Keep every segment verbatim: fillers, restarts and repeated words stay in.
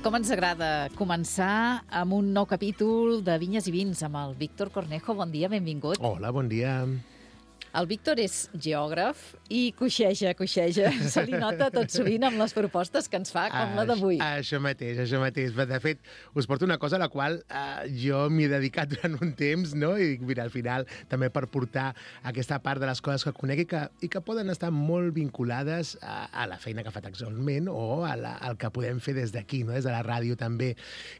com ens agrada començar amb un nou capítol de Vinyes i Vins amb el Víctor Cornejo. Bon dia, benvingut. Hola, bon dia. El Víctor és geògraf i coixeja, coixeja. Se li nota tot sovint amb les propostes que ens fa, com la d'avui. Això mateix, això mateix. De fet, us porto una cosa a la qual eh, jo m'hi he dedicat durant un temps, no? I mira, al final, també per portar aquesta part de les coses que conec i que, i que poden estar molt vinculades a, a la feina que fa actualment o a la, al que podem fer des d'aquí, no? Des de la ràdio també,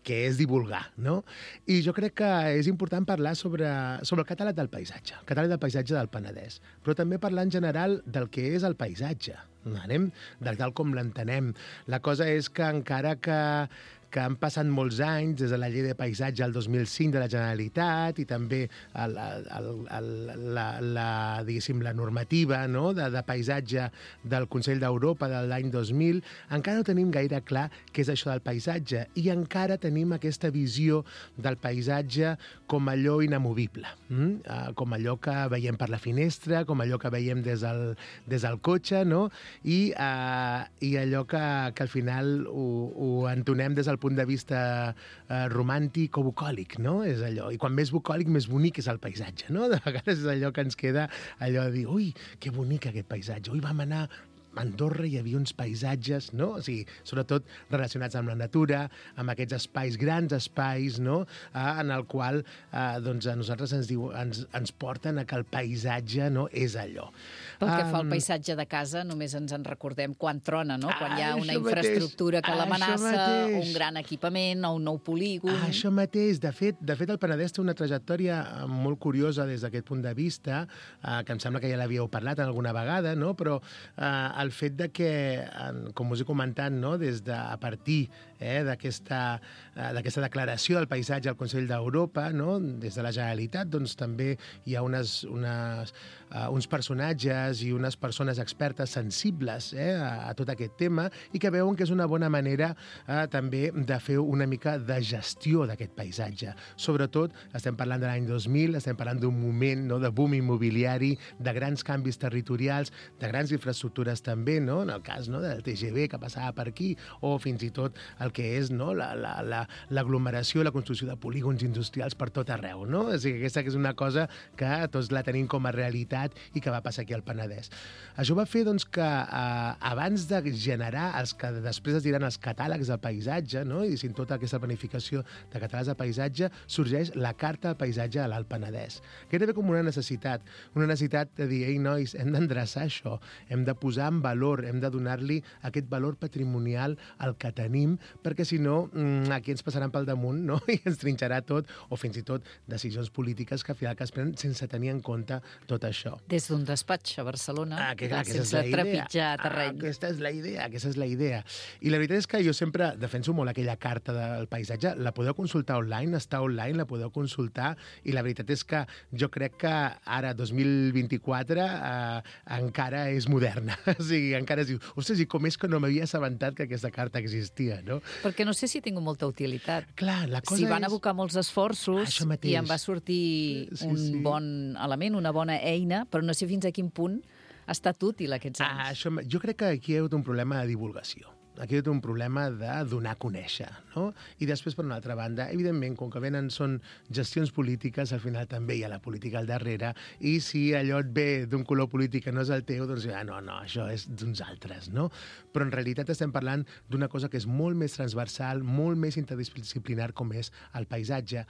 que és divulgar, no? I jo crec que és important parlar sobre, sobre el catàleg del paisatge, el catàleg del paisatge del Penedès, però també parlar en general del que és el paisatge, anem, de tal com l'entenem. La cosa és que encara que, que han passat molts anys des de la llei de paisatge al dos mil cinc de la Generalitat i també el, el, el, la, la, diguéssim, la normativa, no? de, de paisatge del Consell d'Europa de l'any dos mil, encara no tenim gaire clar què és això del paisatge i encara tenim aquesta visió del paisatge com allò inamovible, mm? uh, com allò que veiem per la finestra, com allò que veiem des del, des del cotxe, no? I, uh, i allò que, que al final ho, ho entonem des del punt de vista uh, romàntic o bucòlic, no? És allò. I quan més bucòlic, més bonic és el paisatge, no? De vegades és allò que ens queda, allò de dir, ui, que bonic aquest paisatge, ui, vam anar a Andorra, hi havia uns paisatges, no? O sigui, sobretot relacionats amb la natura, amb aquests espais, grans espais, no? Eh, en el qual eh, doncs a nosaltres ens, diu, ens, ens porten a que el paisatge no és allò. Pel que um, fa al paisatge de casa, només ens en recordem quan trona, no? Quan hi ha ah, una mateix, infraestructura que l'amenaça, un mateix. gran equipament o un nou polígon. Ah, això mateix. De fet, de fet, el Penedès té una trajectòria molt curiosa des d'aquest punt de vista, eh, que em sembla que ja l'havíeu parlat alguna vegada, no? Però eh, el fet de que, com us he comentat, no? Des de, a partir eh, d'aquesta eh, d'aquesta declaració del paisatge al Consell d'Europa, no? Des de la Generalitat, doncs també hi ha unes, unes, uh, uns personatges i unes persones expertes sensibles eh, a, a tot aquest tema i que veuen que és una bona manera eh, també de fer una mica de gestió d'aquest paisatge. Sobretot, estem parlant de l'any dos mil, estem parlant d'un moment no, de boom immobiliari, de grans canvis territorials, de grans infraestructures també, no? En el cas no, del T G V que passava per aquí, o fins i tot el que és no, l'aglomeració, la, la, la construcció de polígons industrials per tot arreu. No? O sigui, aquesta que és una cosa que tots la tenim com a realitat i que va passar aquí al Penedès. Això va fer doncs, que eh, abans de generar els que després es diran els catàlegs de paisatge, no? I sin tota aquesta planificació de catàlegs de paisatge, sorgeix la Carta del Paisatge a l'Alt Penedès. Que era com una necessitat, una necessitat de dir, ei, nois, hem d'endreçar això, hem de posar en valor, hem de donar-li aquest valor patrimonial al que tenim, perquè si no, aquí ens passaran pel damunt, no? I ens trinxarà tot, o fins i tot decisions polítiques que al final que es prenen sense tenir en compte tot això. Des d'un despatx a Barcelona, ah, que, clar, sense trepitjar terreny. Ah, aquesta és la idea, aquesta és la idea. I la veritat és que jo sempre defenso molt aquella carta del paisatge, la podeu consultar online, està online, la podeu consultar, i la veritat és que jo crec que ara, dos mil vint-i-quatre, eh, encara és moderna. O sigui, encara es diu, ostres, i com és que no m'havia assabentat que aquesta carta existia, no? Perquè no sé si ha tingut molta utilitat. Clar, la cosa si van és... abocar molts esforços i em va sortir sí, un sí. bon element, una bona eina, però no sé fins a quin punt ha estat útil aquests anys. Ah, això, jo crec que aquí hi ha hagut un problema de divulgació. Aquí hi ha un problema de donar a conèixer, no? I després, per una altra banda, evidentment, com que venen són gestions polítiques, al final també hi ha la política al darrere, i si allò et ve d'un color polític que no és el teu, doncs ah, no, no, això és d'uns altres, no? Però en realitat estem parlant d'una cosa que és molt més transversal, molt més interdisciplinar com és el paisatge.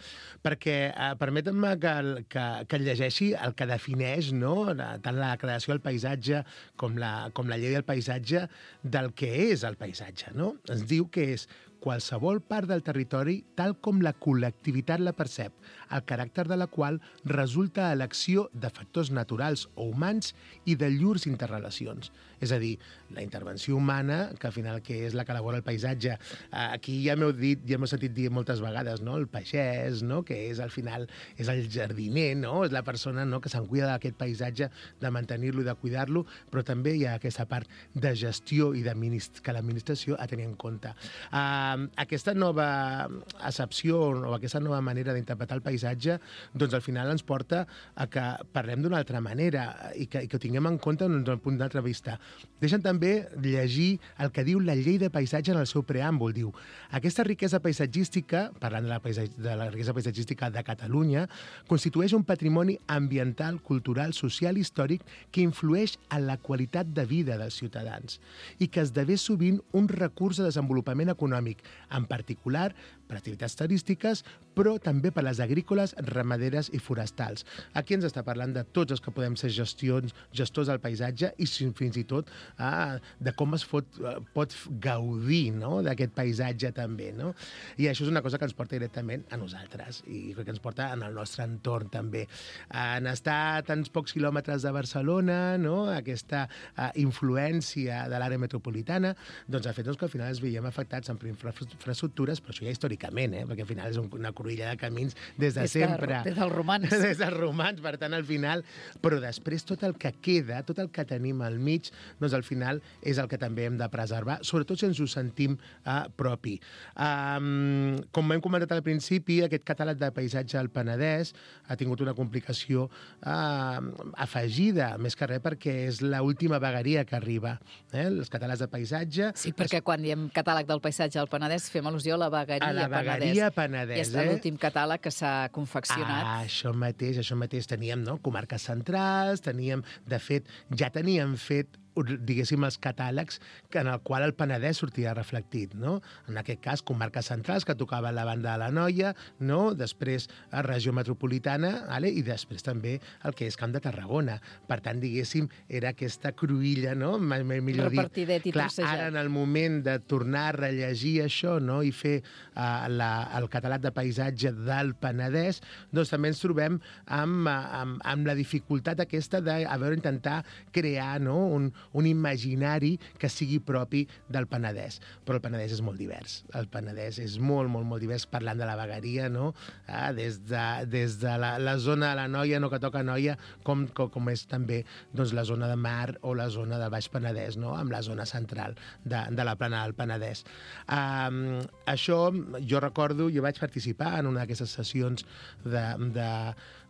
Perquè, eh, permetem-me que, que, que llegeixi el que defineix, no?, tant la declaració del paisatge com la, com la llei del paisatge del que és el paisatge. No? Ens diu que és qualsevol part del territori tal com la col·lectivitat la percep, el caràcter de la qual resulta a l'acció de factors naturals o humans i de llurs interrelacions. És a dir, la intervenció humana, que al final que és la que elabora el paisatge, aquí ja m'heu dit, ja m'heu sentit dir moltes vegades, no? El pagès, no? Que és al final és el jardiner, no? És la persona no? que se'n cuida d'aquest paisatge, de mantenir-lo i de cuidar-lo, però també hi ha aquesta part de gestió i que l'administració ha de tenir en compte. Uh, Uh, aquesta nova accepció o aquesta nova manera d'interpretar el paisatge, doncs al final ens porta a que parlem d'una altra manera i que, i que ho tinguem en compte des d'un punt d'altra vista. Deixen també llegir el que diu la llei de paisatge en el seu preàmbul. Diu, aquesta riquesa paisatgística, parlant de la, paisatg... de la riquesa paisatgística de Catalunya, constitueix un patrimoni ambiental, cultural, social i històric que influeix en la qualitat de vida dels ciutadans i que esdevé sovint un recurs de desenvolupament econòmic, en particular per activitats turístiques, però també per les agrícoles, ramaderes i forestals. Aquí ens està parlant de tots els que podem ser gestions, gestors del paisatge i fins i tot ah, de com es pot, pot gaudir, no?, d'aquest paisatge també. No? I això és una cosa que ens porta directament a nosaltres i que ens porta en el nostre entorn també. En estar a tants pocs quilòmetres de Barcelona, no?, aquesta uh, influència de l'àrea metropolitana, doncs ha fet doncs, que al final ens veiem afectats en infraestructures, però això ja històricament, eh? Perquè al final és una cruïlla de camins des de des sempre. De, des dels romans. Des dels romans, per tant, al final... Però després tot el que queda, tot el que tenim al mig, doncs al final és el que també hem de preservar, sobretot si ens ho sentim uh, propi. Um, com hem comentat al principi, aquest catàleg de paisatge al Penedès ha tingut una complicació uh, afegida, més que res perquè és l'última vegueria que arriba. Eh? Els catàlegs de paisatge... Sí, perquè quan diem catàleg del paisatge al Penedès fem al·lusió a la vegueria, a la vegueria Penedès. I és eh? l'últim catàleg que s'ha confeccionat. Ah, això mateix, això mateix. Teníem, no?, comarques centrals, teníem, de fet, ja teníem fet diguéssim, els catàlegs en el qual el Penedès sortia reflectit, no? En aquest cas, comarques centrals, que tocaven la banda de l'Anoia, no? Després, a regió metropolitana, vale? I després també el que és Camp de Tarragona. Per tant, diguéssim, era aquesta cruïlla, no? Millor repartidet i clar, trossejat. ara, en el moment de tornar a rellegir això, no?, i fer uh, la, el catàleg de paisatge del Penedès, doncs també ens trobem amb, amb, amb la dificultat aquesta de, a veure, intentar crear, no?, un, un imaginari que sigui propi del Penedès. Però el Penedès és molt divers. El Penedès és molt, molt, molt divers, parlant de la vegueria, no? Ah, des de, des de la, la zona de la Noia, no, que toca Noia, com, com, com és també doncs, la zona de Mar o la zona del Baix Penedès, no?, amb la zona central de, de la plana del Penedès. Um, això, jo recordo, jo vaig participar en una d'aquestes sessions de, de,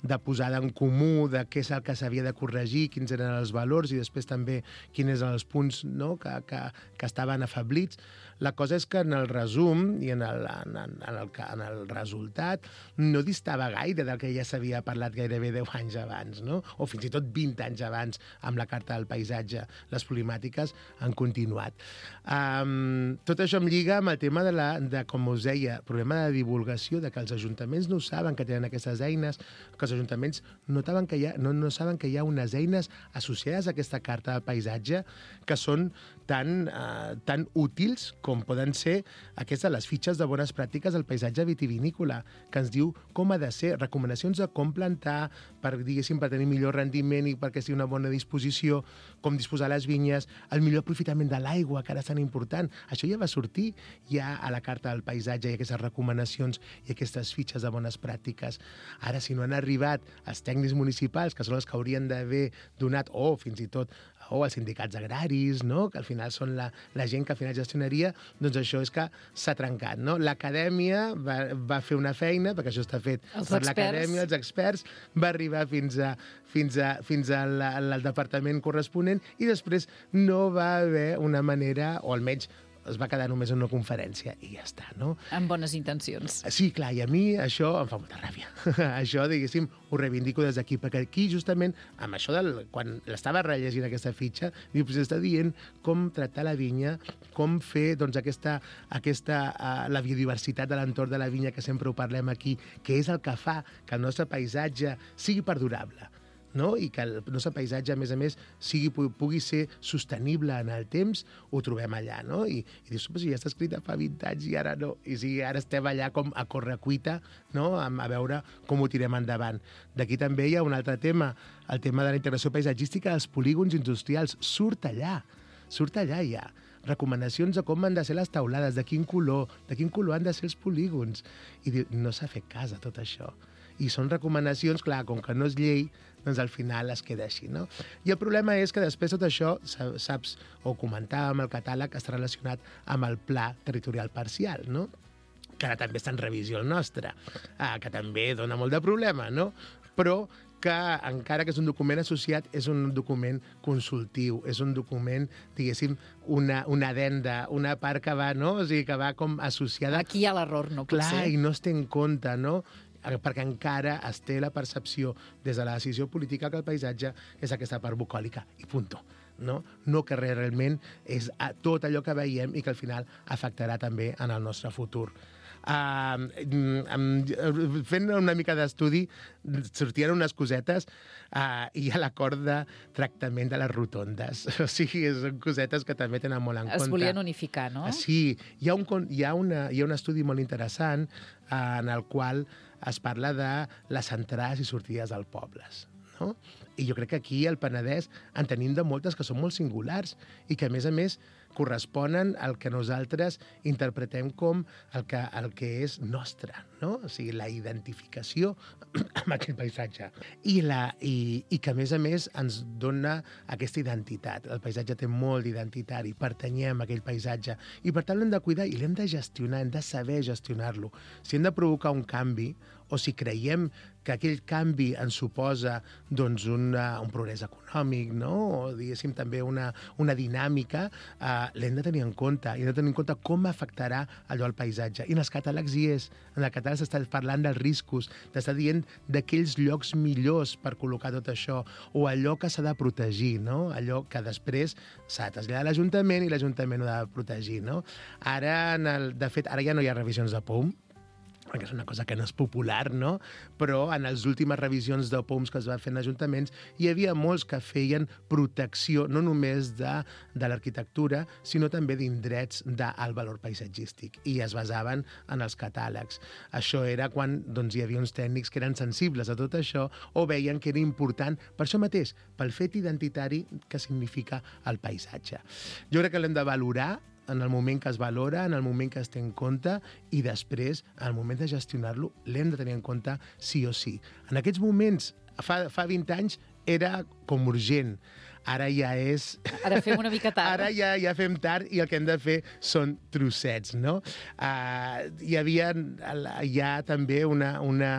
de posada en comú de què és el que s'havia de corregir, quins eren els valors i després també quins eren els punts, no?, que, que, que estaven afablits. La cosa és que en el resum i en el, en, en, el, en el resultat no distava gaire del que ja s'havia parlat gairebé deu anys abans, no?, o fins i tot vint anys abans amb la Carta del Paisatge. Les problemàtiques han continuat. Um, tot això em lliga amb el tema de, la, de, com us deia, problema de divulgació, de que els ajuntaments no saben que tenen aquestes eines, que els ajuntaments notaven que hi ha, no, no saben que hi ha unes eines associades a aquesta Carta del Paisatge que són tan, uh, tan útils com poden ser aquestes, les fitxes de bones pràctiques del paisatge vitivinícola, que ens diu com ha de ser, recomanacions de com plantar per, diguéssim, per tenir millor rendiment i perquè sigui una bona disposició, com disposar les vinyes, el millor aprofitament de l'aigua, que ara és tan important. Això ja va sortir ja a la Carta del Paisatge i aquestes recomanacions i aquestes fitxes de bones pràctiques. Ara, si no han arribat els tècnics municipals, que són els que haurien d'haver donat, o fins i tot o els sindicats agraris, no?, que al final són la, la gent que al final gestionaria, doncs això és que s'ha trencat, no? L'acadèmia va, va fer una feina, perquè això està fet els per experts. l'acadèmia, els experts, va arribar fins, a, fins, a, fins al, al departament corresponent i després no va haver una manera, o almenys es va quedar només en una conferència i ja està, no? Amb bones intencions. Sí, clar, i a mi això em fa molta ràbia. Això, diguéssim, ho reivindico des d'aquí, perquè aquí, justament, amb això del... Quan l'estava rellegint aquesta fitxa, diu, pues està dient com tractar la vinya, com fer, doncs, aquesta... aquesta uh, la biodiversitat de l'entorn de la vinya, que sempre ho parlem aquí, que és el que fa que el nostre paisatge sigui perdurable, no? I que el nostre paisatge, a més a més, sigui, pugui ser sostenible en el temps, ho trobem allà, no? I, i dius, si ja està escrita fa vint anys i ara no. I si ara estem allà com a correcuita, no?, a, a veure com ho tirem endavant. D'aquí també hi ha un altre tema, el tema de la integració paisatgística dels polígons industrials. Surt allà, surt allà ja. Recomanacions de com han de ser les taulades, de quin color, de quin color han de ser els polígons. I diu, no s'ha fet cas a tot això. I són recomanacions, clar, com que no és llei, doncs al final es queda així, no? I el problema és que després tot això, saps, o comentàvem, el catàleg està relacionat amb el pla territorial parcial, no? Que ara també està en revisió el nostre, ah, que també dona molt de problema, no? Però que encara que és un document associat, és un document consultiu, és un document, diguéssim, una, una adenda, una part que va, no? O sigui, que va com associada... Aquí hi ha l'error, no pot Clar, ser. i no es té en compte, no? Perquè encara es té la percepció des de la decisió política que el paisatge és aquesta part bucòlica, i punto. No, no que realment és tot allò que veiem i que al final afectarà també en el nostre futur. Uh, fent una mica d'estudi sortien unes cosetes uh, i hi ha l'acord de tractament de les rotondes. O sigui, són cosetes que també tenen molt en es compte. Es volien unificar, no? Sí, hi ha un, hi ha una, hi ha un estudi molt interessant uh, en el qual es parla de les entrades i sortides als pobles. No? I jo crec que aquí al Penedès en tenim de moltes que són molt singulars i que, a més a més, corresponen al que nosaltres interpretem com el que, el que és nostre, no? O sigui, la identificació amb aquest paisatge. I, la, i, I que, a més a més, ens dona aquesta identitat. El paisatge té molt d'identitari, pertanyem a aquell paisatge, i per tant l'hem de cuidar i l'hem de gestionar, hem de saber gestionar-lo. Si hem de provocar un canvi, o si creiem que aquell canvi ens suposa doncs, una, un progrés econòmic, no? O diguéssim també una, una dinàmica, eh, l'hem de tenir en compte, i hem de tenir en compte com afectarà allò al paisatge. I en els catàlegs hi és. En el catàleg s'està parlant dels riscos, t'està dient d'aquells llocs millors per col·locar tot això, o allò que s'ha de protegir, no? Allò que després s'ha de traslladar a l'Ajuntament i l'Ajuntament ho ha de protegir, no? Ara, en el, de fet, ara ja no hi ha revisions de P O M, perquè és una cosa que no és popular, no? Però en les últimes revisions de P O Ms que es va fer en ajuntaments hi havia molts que feien protecció no només de, de l'arquitectura, sinó també d'indrets d'alt valor paisatgístic, i es basaven en els catàlegs. Això era quan doncs, hi havia uns tècnics que eren sensibles a tot això o veien que era important per això mateix, pel fet identitari que significa el paisatge. Jo crec que l'hem de valorar en el moment que es valora, en el moment que es té en compte, i després, en el moment de gestionar-lo, l'hem de tenir en compte sí o sí. En aquests moments, fa, fa vint anys, era com urgent. Ara ja és... Ara fem una mica tard. Ara ja, ja fem tard i el que hem de fer són trossets, no? Uh, hi havia ja també una... una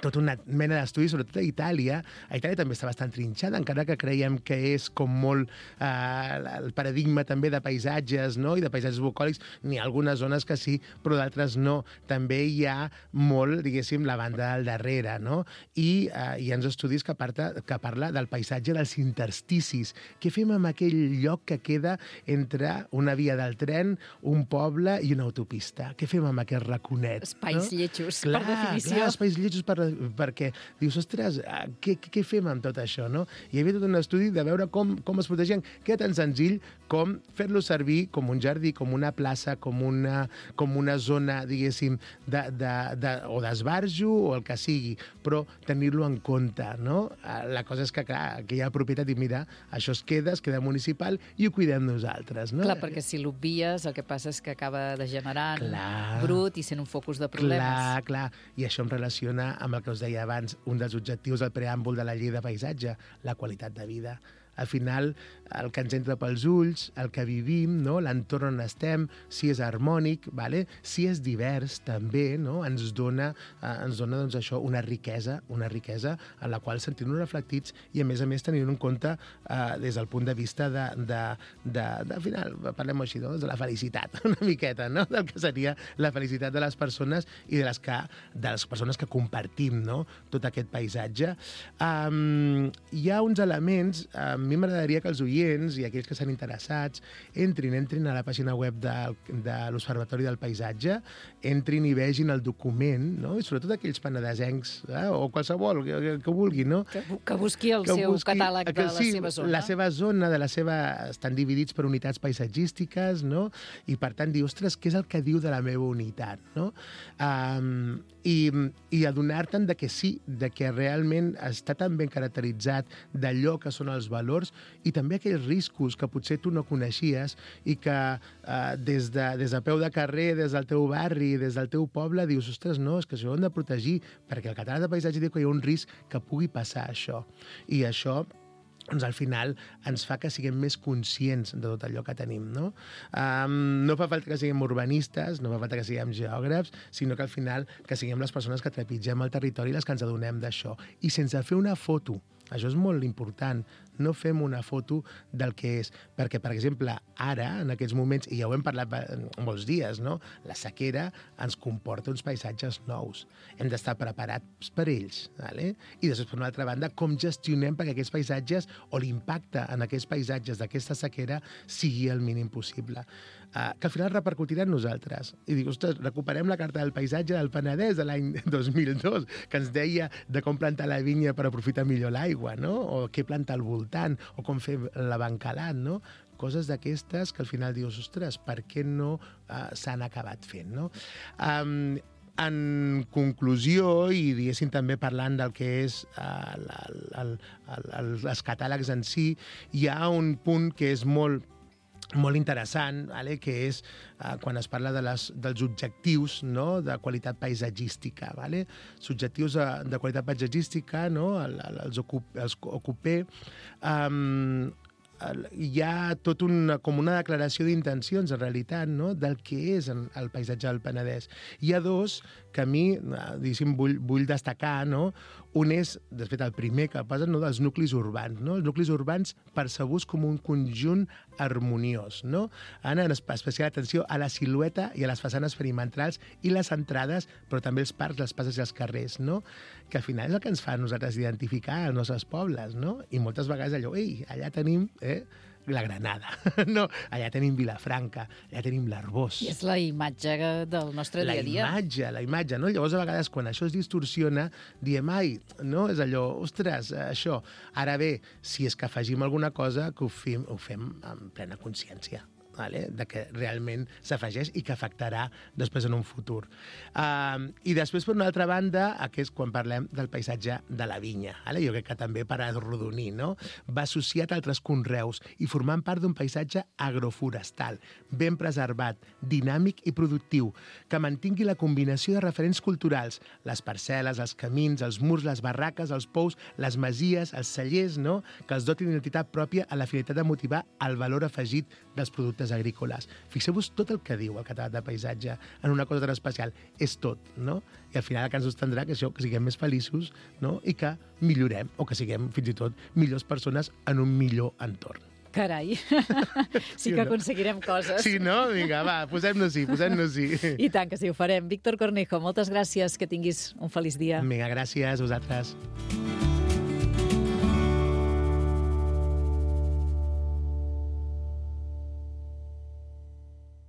tota una mena d'estudis, sobretot a Itàlia. A Itàlia també està bastant trinxada, encara que creiem que és com molt eh, el paradigma també de paisatges, no? I de paisatges bucòlics. N'hi ha algunes zones que sí, però d'altres no. També hi ha molt, diguéssim, la banda al darrere, no? I eh, hi ha uns estudis que, parta, que parla del paisatge dels intersticis. Què fem amb aquell lloc que queda entre una via del tren, un poble i una autopista? Què fem amb aquest raconet? Espais no? lletjos, clar, per definició. Clar, espais lletjos per perquè dius, ostres, què, què fem amb tot això, no? Hi havia tot un estudi de veure com, com es protegien, que era tan senzill com fer-lo servir com un jardí, com una plaça, com una, com una zona, diguéssim, de, de, de, o d'esbarjo o el que sigui, però tenir-lo en compte, no? La cosa és que, clar, que hi ha propietat i mira, això es queda, es queda municipal i ho cuidem nosaltres, no? Clar, perquè si l'obvies, el que passa és que acaba degenerant, clar, brut i sent un focus de problemes. Clar, clar, i això em relaciona amb el que us deia abans, un dels objectius del preàmbul de la llei de paisatge, la qualitat de vida. Al final, el que ens entra pels ulls, el que vivim, no? L'entorn on estem, si és harmònic, vale? Si és divers, també, no? Ens dona, eh, ens dona doncs, això, una riquesa, una riquesa en la qual sentim-nos reflectits i, a més a més, tenint en compte eh, des del punt de vista de, de, de, de, al final, parlem així, no? De la felicitat, una miqueta, no? Del que seria la felicitat de les persones i de les, que, de les persones que compartim, no? Tot aquest paisatge. Um, hi ha uns elements, um, a mi m'agradaria que els oients i aquells que s'han interessats entrin, entrin a la pàgina web de, de l'Observatori del Paisatge, entrin i vegin el document, no? I sobretot aquells penedesencs, eh? O qualsevol que, que, que vulgui, no? Que, que busqui el que seu busqui, catàleg de la sí, seva zona. La seva zona, de la seva... estan dividits per unitats paisatgístiques, no? I per tant dir, ostres, què és el que diu de la meva unitat, no? Um, i, i adonar-te'n de que sí, de que realment està tan ben caracteritzat d'allò que són els valors i també aquells riscos que potser tu no coneixies i que eh, des, de, des de peu de carrer, des del teu barri, des del teu poble, dius, ostres, no, és que això ho hem de protegir, perquè el català de paisatge diu que hi ha un risc que pugui passar això. I això doncs al final ens fa que siguem més conscients de tot allò que tenim, no? Um, no fa falta que siguem urbanistes, no fa falta que siguem geògrafs, sinó que al final que siguem les persones que trepitgem el territori i les que ens adonem d'això. I sense fer una foto, això és molt important, no fem una foto del que és. Perquè, per exemple, ara, en aquests moments, i ja ho hem parlat molts dies, no? La sequera ens comporta uns paisatges nous. Hem d'estar preparats per ells. Vale? I després, per una altra banda, com gestionem perquè aquests paisatges o l'impacte en aquests paisatges d'aquesta sequera sigui el mínim possible. Uh, que al final repercutirà en nosaltres. I dic, ostres, recuperem la carta del paisatge del Penedès de l'any dos mil dos, que ens deia de com plantar la vinya per aprofitar millor l'aigua, no? O què plantar al voltant, o com fer l'abancalat, no? Coses d'aquestes que al final dius, ostres, per què no uh, s'han acabat fent, no? Um, en conclusió, i diguéssim també parlant del que és uh, el, el, el, el, els catàlegs en si, hi ha un punt que és molt molt interessant, vale? Que és uh, quan es parla de les, dels objectius, no? De qualitat paisatgística. Vale? Els objectius de, de qualitat paisatgística, no? el, el, els, ocup, els ocupé, um, hi ha tot una, com una declaració d'intencions, en realitat, no? Del que és el paisatge del Penedès. Hi ha dos que a mi, diguéssim, vull, vull destacar, no? Un és, de fet, el primer que posa, no? Dels nuclis urbans, no? Els nuclis urbans percebuts com un conjunt harmoniós, no? Han especial atenció a la silueta i a les façanes perimetrals i les entrades, però també els parcs, les passes i els carrers, no? Que al final és el que ens fa a nosaltres identificar els nostres pobles, no? I moltes vegades allò, ei, allà tenim eh, la Granada, no? Allà tenim Vilafranca, allà tenim l'Arbós. I és la imatge del nostre dia a dia. La imatge, la imatge, no? Llavors, a vegades, quan això es distorsiona, diem, ai, no? És allò, ostres, això. Ara bé, si és que afegim alguna cosa, que ho fem, ho fem amb plena consciència. Vale? De que realment s'afegeix i que afectarà després en un futur. Uh, I després, per una altra banda, aquest és quan parlem del paisatge de la vinya. Vale? Jo crec que també per arrodonir, no? Va associat a altres conreus i formant part d'un paisatge agroforestal, ben preservat, dinàmic i productiu, que mantingui la combinació de referents culturals, les parcel·les, els camins, els murs, les barraques, els pous, les masies, els cellers, no? Que els dotin d'identitat pròpia a la finalitat de motivar el valor afegit dels productes agrícoles. Fixeu-vos tot el que diu el catàleg de paisatge en una cosa tan especial. És tot, no? I al final el que ens sostendrà que això, que siguem més feliços, no? I que millorem, o que siguem fins i tot millors persones en un millor entorn. Carai, sí que aconseguirem coses. Sí, no? Vinga, va, posem-nos-hi, posem-nos-hi. I tant que sí, ho farem. Víctor Cornejo, moltes gràcies, que tinguis un feliç dia. Vinga, gràcies a vosaltres.